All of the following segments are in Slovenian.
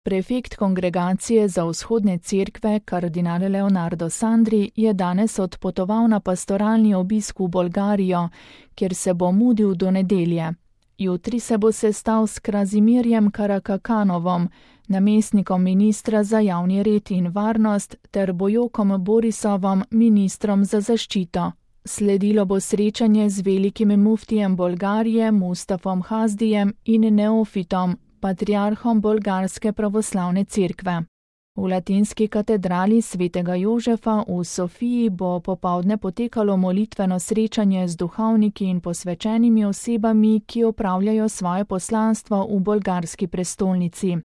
Prefekt Kongregacije za vzhodne cerkve, kardinal Leonardo Sandri, je danes odpotoval na pastoralni obisk v Bolgarijo, kjer se bo mudil do nedelje. Jutri se bo sestal s Krazimirjem Karakakanovom, namestnikom ministra za javni red in varnost, ter Bojokom Borisovom, ministrom za zaščito. Sledilo bo srečanje z velikim muftijem Bolgarije Mustafom Hazdijem in neofitom, patriarhom Bolgarske pravoslavne cerkve. V latinski katedrali svetega Jožefa v Sofiji bo popoldne potekalo molitveno srečanje z duhovniki in posvečenimi osebami, ki opravljajo svoje poslanstvo v bolgarski prestolnici.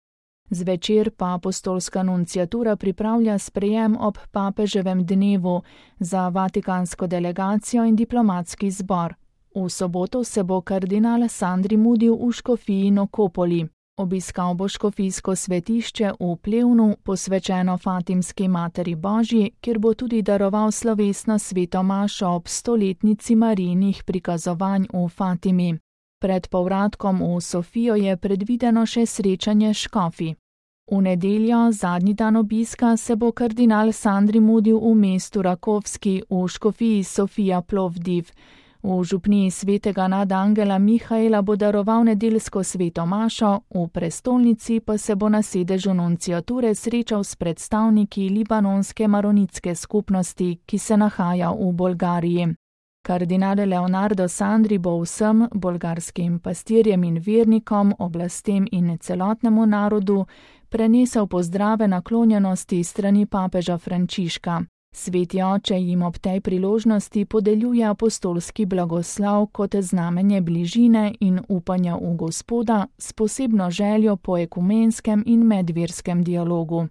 Zvečer pa apostolska nunciatura pripravlja sprejem ob papeževem dnevu za vatikansko delegacijo in diplomatski zbor. V soboto se bo kardinal Sandri mudil v škofiji Nokopoli. Obiskal bo škofijsko svetišče v Plevnu, posvečeno Fatimski materi Božji, kjer bo tudi daroval slovesno sveto mašo ob 100-letnici Marijinih prikazovanj v Fatimi. Pred povratkom v Sofijo je predvideno še srečanje s škofi. V nedeljo, zadnji dan obiska, se bo kardinal Sandri mudil v mestu Rakovski v škofiji Sofija Plovdiv. V župniji svetega nadangela Mihaela bo daroval nedeljsko sveto mašo, v prestolnici pa se bo na sedežu nunciature srečal s predstavniki libanonske maronitske skupnosti, ki se nahaja v Bolgariji. Kardinal Leonardo Sandri bo vsem bolgarskim pastirjem in vernikom, oblastem in celotnemu narodu prenesel pozdrave naklonjenosti strani papeža Frančiška. Sveti oče jim ob tej priložnosti podeljuje apostolski blagoslov kot znamenje bližine in upanja v Gospoda s posebno željo po ekumenskem in medverskem dialogu.